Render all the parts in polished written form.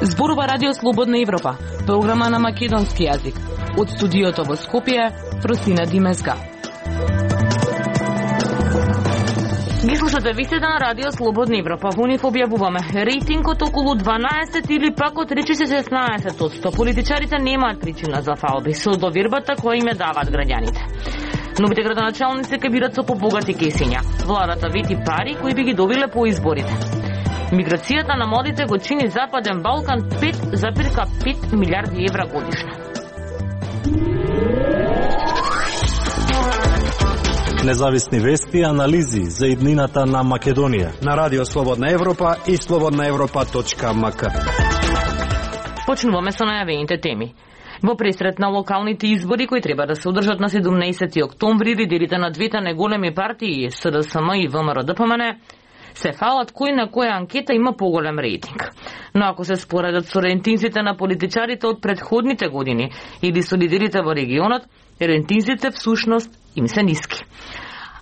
Зборува Радио Слободна Европа, програма на македонски јазик. Од студиото во Скопје, Фросина Димезга. Ги слушате вистина на Радио Слободна Европа. Во нив објавуваме рейтингот околу 12 или пак од речиси 16%. Политичарите немаат причина за фалби со довербата која им ја даваат граѓаните. Новите градоначалници ќе бидат со побогати кесиња. Владата вети пари кои би ги добиле по изборите. Миграцијата на младите го чини Западен Балкан 5,5 милиарди евра годишно. Независни вести и анализи за иднината на Македонија на Радио Слободна Европа и slobodnaevropa.mk. Почнуваме со најавените теми. Во пресрет на локалните избори кои треба да се одржат на 17 октомври, лидерите на двете најголеми партии СДСМ и ВМРО-ДПМН се фалат кој на која анкета има поголем рейтинг. Но ако се споредат со рейтинзите на политичарите од претходните години или со лидерите во регионот, рейтинзите всушност им се ниски.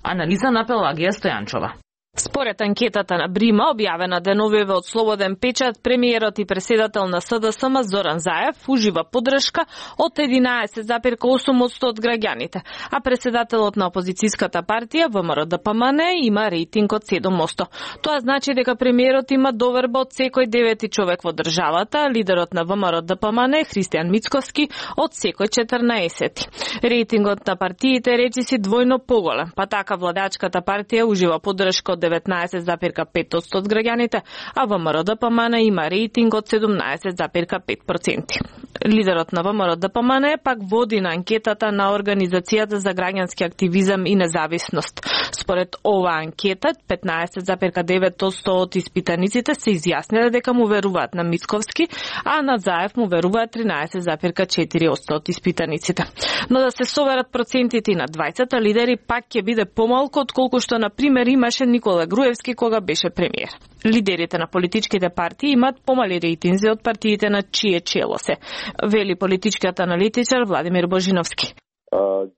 Анализа на Пелагија Стојанчова. Според анкетата на Брима, објавена деновиве од Слободен печат, премиерот и председател на СДСМ Зоран Заев ужива поддршка од 11,8% од граѓаните, а председателот на опозицијската партија ВМРО-ДПМН има рейтинг од 7%. Тоа значи дека премиерот има доверба од секој 9 човек во државата, лидерот на ВМРО-ДПМН Христијан Мицковски од секој 14. Рейтингот на партиите речиси двојно поголем, па така владачката партија ужива поддршка од 19,5% од граѓаните, а ВМРО-ДПМН има рейтинг од 17,5%. Лидерот на ВМРО-ДПМН пак води на анкетата на Организацијата за граѓански активизам и независност. Според оваа анкета, 15,9% од испитаниците се изјасниле дека му веруваат на Мицковски, а на Заев му веруваат 13,4% од испитаниците. Но да се соверат процентите на 20 лидери пак ќе биде помалку отколку што на пример имаше Никола Груевски кога беше премиер. Лидерите на политичките партии имаат помали рейтинзи од партиите на чие чело се, вели политичкиот аналитичар Владимир Божиновски.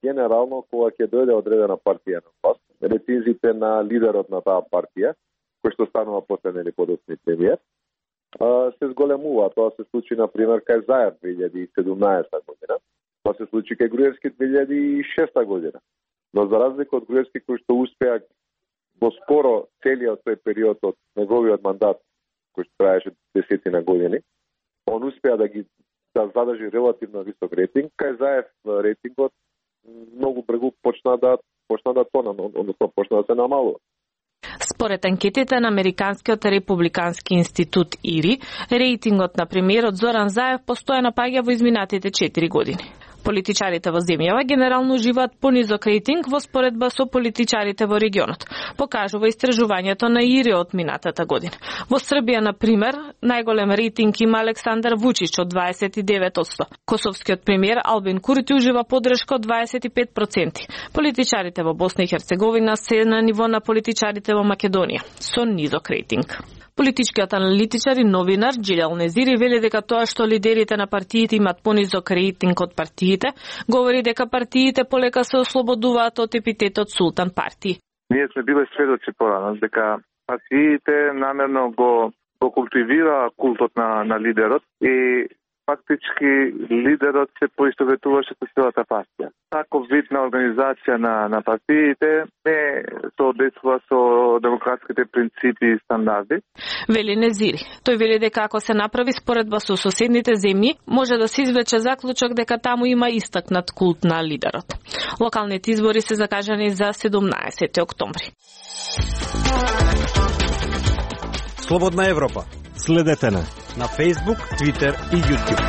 Генерално, кога ќе дојде одредена партија на власт, рейтинзите на лидерот на таа партија, кој што станува после нели подоцни премиер, се зголемува. Тоа се случи на пример кај Заев 2017 година. Тоа се случи кај Груевски 2006 година. Но за разлика од Груевски кој што успеа во скоро целиот тој период од неговиот мандат, кој што траеше десетина години, он успеа да задржи релативно висок рейтинг. Кај Заев рейтингот многу брзо почна да тона, односно почна да се намалува. Според анкетите на Американскиот републикански институт ИРИ, рейтингот на премиерот Зоран Заев постојано паѓа во изминатите 4 години. Политичарите во земјава генерално уживаат понизок рейтинг во споредба со политичарите во регионот, покажува истражувањето на ИРИ од минатата година. Во Србија, на пример, најголем рейтинг има Александар Вучич од 29%. Косовскиот премиер Албин Курти ужива поддршка од 25%. Политичарите во Босна и Херцеговина се на ниво на политичарите во Македонија, со низок рейтинг. Политичкиот аналитичар и новинар Джилјал Незири вели дека тоа што лидерите на партиите имаат понизок рейтинг од партиите, говори дека партиите полека се ослободуваат од епитетот султан партии. Ние сме биле сведоци порано дека партиите намерно го култивира култот на лидерот и фактички лидерот се поистоветуваше со целата партија. Таков вид на организација на партиите не соодветствува со демократските принципи и стандарди. Вели Незири. Тој вели дека ако се направи споредба со соседните земји, може да се извлече заклучок дека таму има истакнат култ на лидерот. Локалните избори се закажани за 17 октомври. Слободна Европа. Следете на Facebook, Twitter и YouTube.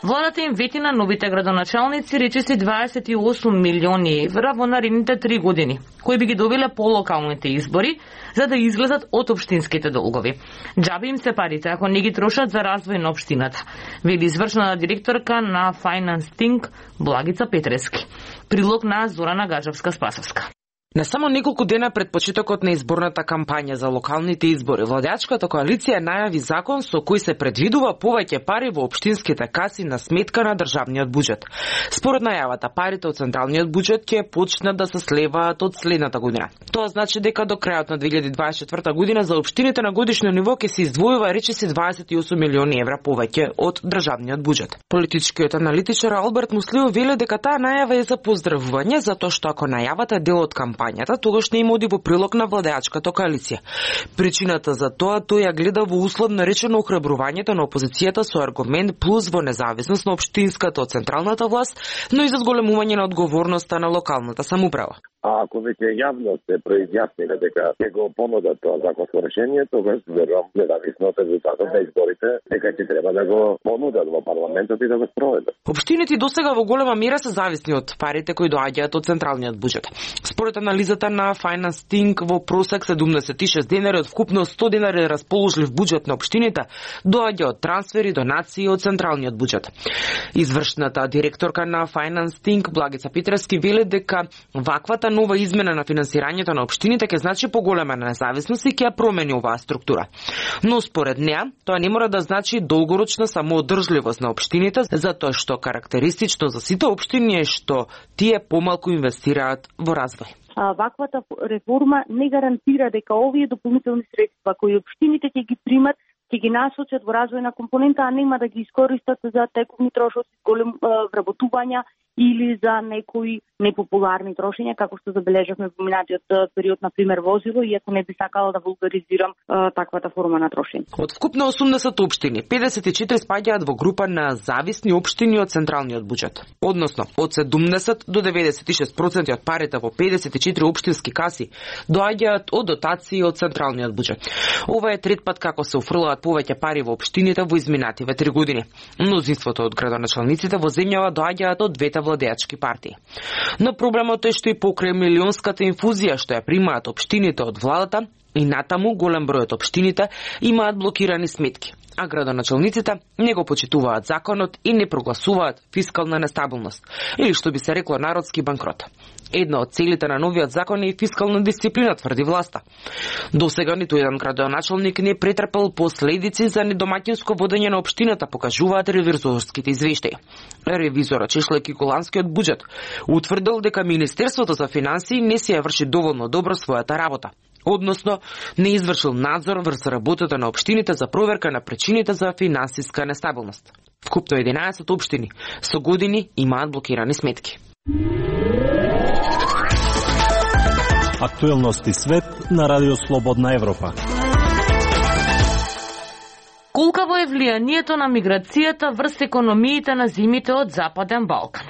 Владата им вети на новите градоначалници речиси 28 милиони евра во наредните 3 години, кои би ги добиле по локалните избори, за да излезат од општинските долгови. Џаби им се парите ако не ги трошат за развој на општината, вели извршна директорка на Finance Think Благица Петрески. Прилог на Зорана Гаджевска-Спасовска. Не само неколку дена пред почетокот на изборната кампања за локалните избори, владеачката коалиција најави закон со кој се предвидува повеќе пари во општинските каси на сметка на државниот буџет. Според најавата, парите од централниот буџет ќе почнат да се слеваат од следната година. Тоа значи дека до крајот на 2024 година за општините на годишно ниво ќе се издвојува речиси 28 милиони евра повеќе од државниот буџет. Политичкиот аналитичар Алберт Муслио вели дека таа најава е за поздравување, затоа што ако најавата е дел од кампањата, тогаш не им оди во прилог на владеачката коалиција. Причината за тоа тој ја гледа во условно речено охрабрувањето на опозицијата со аргумент плюс во независност на општинската од централната власт, но и за зголемување на одговорноста на локалната самоуправа. А ако веќе јавно се произјасниле дека ќе го понудат тоа законско решение, тогаш верувам независно од резултатот на изборите, дека ќе треба да го понудат во парламентот и да го спроведат. Општините досега во голема мера се зависни од парите кои доаѓаат од централниот буџет. Според анализата на Finance Think, во просек 76 денари од вкупно 100 денари расположлив буџет на општините доаѓа од трансфери, донации од централниот буџет. Извршната директорка на Finance Think, Благица Петрески, вели дека ваквата нова измена на финансирањето на општините ќе значи поголема независност и ќе ја промени оваа структура. Но според неа, тоа не мора да значи долгорочна самоодржливост на општините, затоа што карактеристично за сите општини е што тие помалку инвестираат во развој. Ваквата реформа не гарантира дека овие дополнителни средства кои општините ќе ги примат, ќе ги насочат во развојна компонента, а нема да ги искористат за тековни трошоци, голем вработувања или за некои непопуларни трошења, како што забележавме во минатиот период, на пример возило, иако не би сакала да вулгаризирам таквата форма на трошење. Од вкупно 80 општини, 54 спаѓаат во група на зависни општини од централниот буџет. Односно, од 70 до 96% од парите во 54 општински каси доаѓаат од дотации од централниот буџет. Ова е трет пат како се уфрлаат повеќе пари во општините во изминативе 3 години. Мнозинството од градоначалниците во земјава доаѓаат од двете владеачки партии. Но проблемот е што и покрај милионската инфузија што ја примаат општините од владата, и натаму голем број од општините имаат блокирани сметки, а градоначалниците не го почитуваат законот и не прогласуваат фискална нестабилност, или што би се рекло народски банкрот. Една од целите на новиот закон е и фискална дисциплина, тврди власта. Досега ниту еден градоначалник не претрпел последици за недомаќинско водење на општината, покажуваат ревизорските извештаи. Ревизорот, чешлејќи голанскиот буџет, утврдил дека Министерството за финансии не си ја врши доволно добро својата работа. Односно, не извршил надзор врз работата на општините за проверка на причините за финансиска нестабилност. Вкупно 11 општини со години имаат блокирани сметки. Актуелности свет на Радио Слободна Европа. Колкаво е влијанието на миграцијата врз економиите на земјите од Западен Балкан?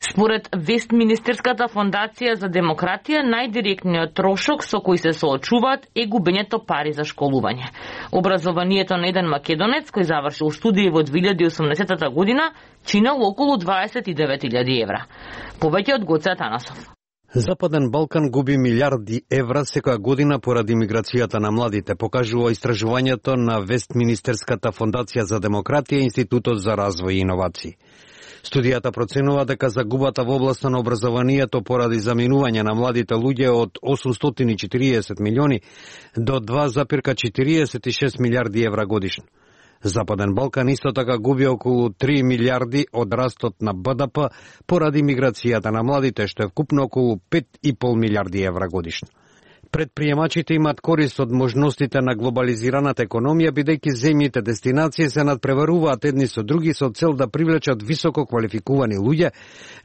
Според Вестминистерската фондација за демократија, најдиректниот трошок со кој се соочуваат е губењето пари за школување. Образованието на еден македонец кој завршил студии во 2018 година чинел околу 29.000 евра. Повеќе од Гоце Атанасов. Западен Балкан губи милиарди евра секоја година поради миграцијата на младите, покажува истражувањето на Вестминистерската фондација за демократија и Институтот за развој и иновации. Студијата проценува дека загубата во областа на образованието поради заминување на младите луѓе од 840 милиони до 2,46 милиарди евра годишно. Западен Балкан исто така губи околу 3 милиарди од растот на БДП поради миграцијата на младите, што е вкупно околу 5,5 милиарди евра годишно. Предприемачите имаат корист од можностите на глобализираната економија, бидејќи земјите дестинации се надпреваруваат едни со други со цел да привлечат високо квалификувани луѓе,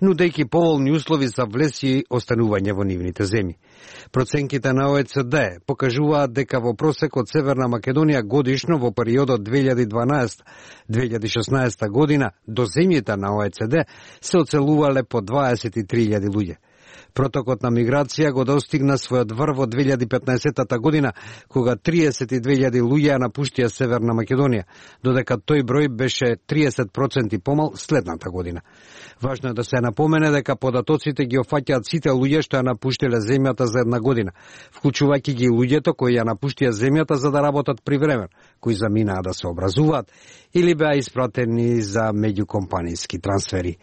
нудејќи поволни услови за влез и останување во нивните земји. Проценките на ОЕЦД покажуваат дека во просек од Северна Македонија годишно во периодот 2012-2016 година до земјите на ОЕЦД се оцелувале по 23.000 луѓе. Протокот на миграција го достигна својот врв во 2015 година, кога 32.000 луѓе напуштија Северна Македонија, додека тој број беше 30% помал следната година. Важно е да се напомене дека податоците ги офаќаат сите луѓе што ја напуштиле земјата за една година, вклучувајќи ги луѓето кои ја напуштија земјата за да работат привремено, кои заминаа да се образуваат или беа испратени за меѓукомпанијски трансфери.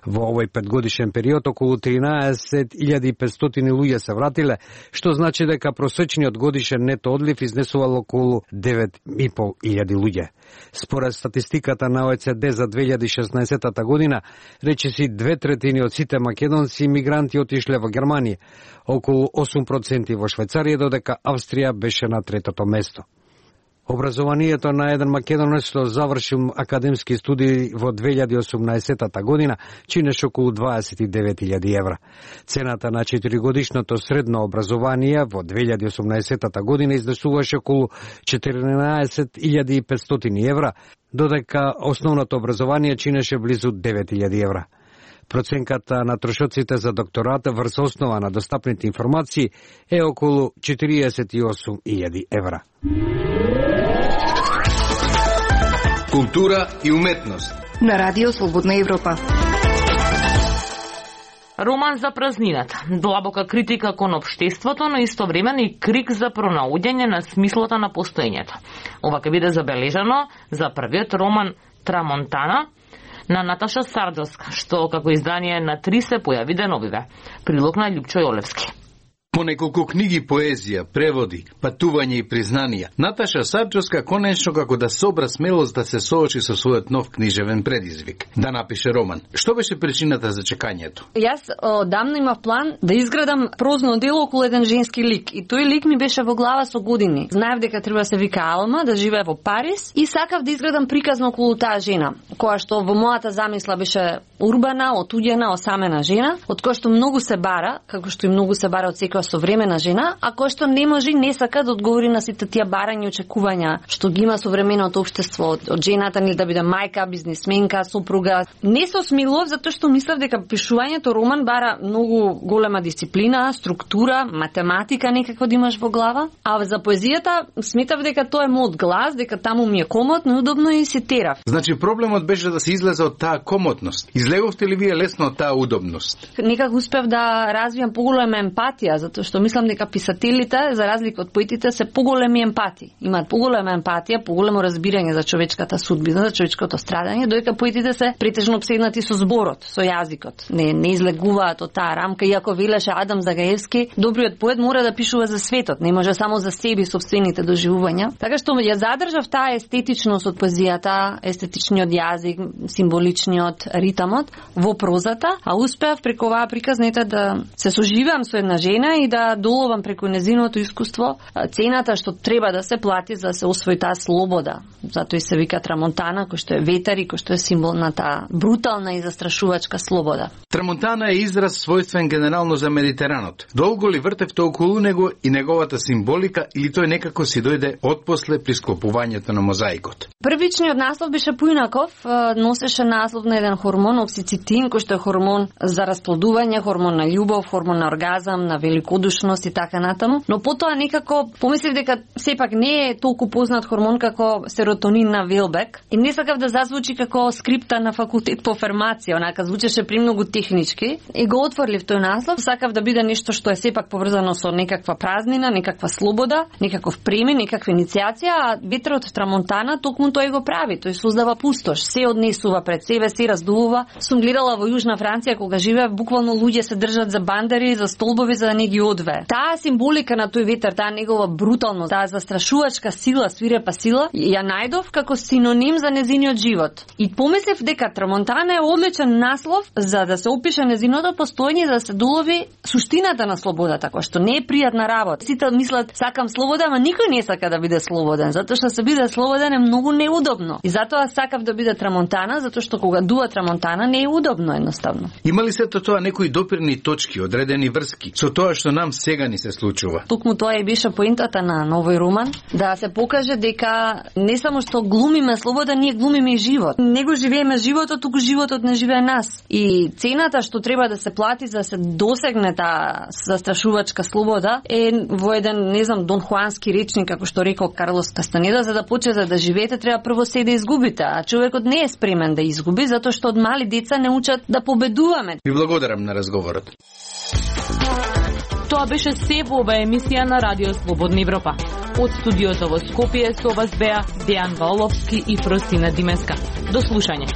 Во овој 5-годишен период околу 13.000 10.500 луѓе се вратиле, што значи дека просечниот годишен нето одлив изнесувал околу 9.500 луѓе. Според статистиката на ОЕЦД за 2016 година, речиси 2/3 од сите македонски имигранти отишле во Германија, околу 8% во Швајцарија, додека Австрија беше на третото место. Образованието на еден македонец што завршил академски студии во 2018 година чинеше околу 29.000 евра. Цената на 4-годишното средно образование во 2018 година изнесуваше околу 14.500 евра, додека основното образование чинеше близу 9.000 евра. Проценката на трошоците за докторат врз основа на достапните информации е околу 48.000 евра. Култура и уметност на Радио Слободна Европа. Роман за празнината. Длабока критика кон општеството, но истовремено и крик за пронаоѓање на смислото на постоењето. Ова ќе биде забележано за првиот роман Трамонтана на Наташа Сарджовска, што како издание на 3 се појави деновиве. Прилог на Љупчо Јолевски. По неколку книги поезија, преводи, патување и признанија, Наташа Сарджовска конечно како да собра смелост да се соочи со својот нов книжевен предизвик, да напише роман. Што беше причината за чекањето? Јас одамна имав план да изградам прозно дело околу еден женски лик, и тој лик ми беше во глава со години. Знаев дека треба да се вика Алма, да живее во Париз, и сакав да изградам приказно околу таа жена, која што во мојата замисла беше урбана, отуѓена, осамена жена, од која што многу се бара, како што и многу се бара од секоја современа жена, а кој што не може и не сака да одговори на сите тие барања и очекувања што ги има современото општество од жената, ни да биде мајка, бизнисменка, сопруга. Не се осмелував затоа што мислев дека пишувањето роман бара многу голема дисциплина, структура, математика некако да имаш во глава, а за поезијата сметав дека тоа е мојот глас, дека таму ми е комотно и удобно и се терав. Значи проблемот беше да се излезе од таа комотност. Излеговте ли вие лесно од таа удобност? Некако успев да развијам поголема емпатија, затоа што мислам дека писателите, за разлика од поетите, се поголеми емпати. Имаат поголема емпатија, поголемо разбирање за човечката судбина, за човечкото страдање, додека поетите се претежно обседнати со зборот, со јазикот. Не излегуваат од таа рамка, иако велеше Адам Загаевски, добриот поет мора да пишува за светот, не може само за себе и сопствените доживувања. Така што ја задржав таа естетичност од поезијата, естетичниот јазик, символичниот ритамот во прозата, а успеав преку оваа приказнета да се соживеам со една жена и да доловам преку незиното искуство цената што треба да се плати за да се освои таа слобода. Затоа и се вика Трамонтана, кој што е ветер и кој што е символ на таа брутална и застрашувачка слобода. Трамонтана е израз својствен генерално за Медитеранот. Долго ли вртевте околу него и неговата символика, или тој некако си дојде отпосле при склопувањето на мозаикот? Првичниот наслов беше поинаков, носеше наслов на еден хормон оксицитин, кој што е хормон за расплодување, хормон на љубов, хормон на оргазам, на великодушност и така натаму, но потоа некако помислив дека сепак не е толку познат хормон како серотонин на Велбек и не сакав да зазвучи како скрипта на факултет по фармација, онака звучеше премногу технички и го отворив тој наслов. Сакав да биде нешто што е сепак поврзано со некаква празнина, некаква слобода, некаков премен, некаква иницијација, а ветерот Трамонтана токму тој го прави, тој создава пустош, се однесува пред себе, се раздувува. Сум гледала во Јужна Франција кога живеев, буквално луѓе се држат за бандари, за столбови за да не ги одвее. Таа символика на тој ветер, таа негова бруталност, таа застрашувачка сила, свирепа сила, ја најдов како синоним за незиниот живот. И помислев дека Трамонтана е одличен наслов за да се опише незиното постоење, за да се долови суштината на слободата, која што не е пријатна работа. Сите мислат сакам слобода, ама никој не сака да биде слободен, затоа што се биде слободен е многу неудобно. И затоа сакав да биде Трамонтана, затоа што кога дува Трамонтана не е удобно едноставно. Има ли сето тоа некои допирни точки, одредени врски со тоа што нам сега ни се случува? Токму тоа и беше поентата на новој роман, да се покаже дека не само што глумиме слобода, ние глумиме и живот. Не го живееме животот, туку животот не живее нас. И цената што треба да се плати за да се досегне таа застрашувачка слобода е во еден, не знам, Дон Хуански речник, како што рекол Карлос Кастанеда, за да почнете да живеете, треба прво се да изгубите, а човекот не е спремен да изгуби, затоа што од мали деца не учат да победуваме. Ви благодарам на разговорот. Тоа беше се во оваа емисија на Радио Слободна Европа. Од студиото во Скопје со вас беа Дејан Ваоловски и Фростина Димеска. До слушање.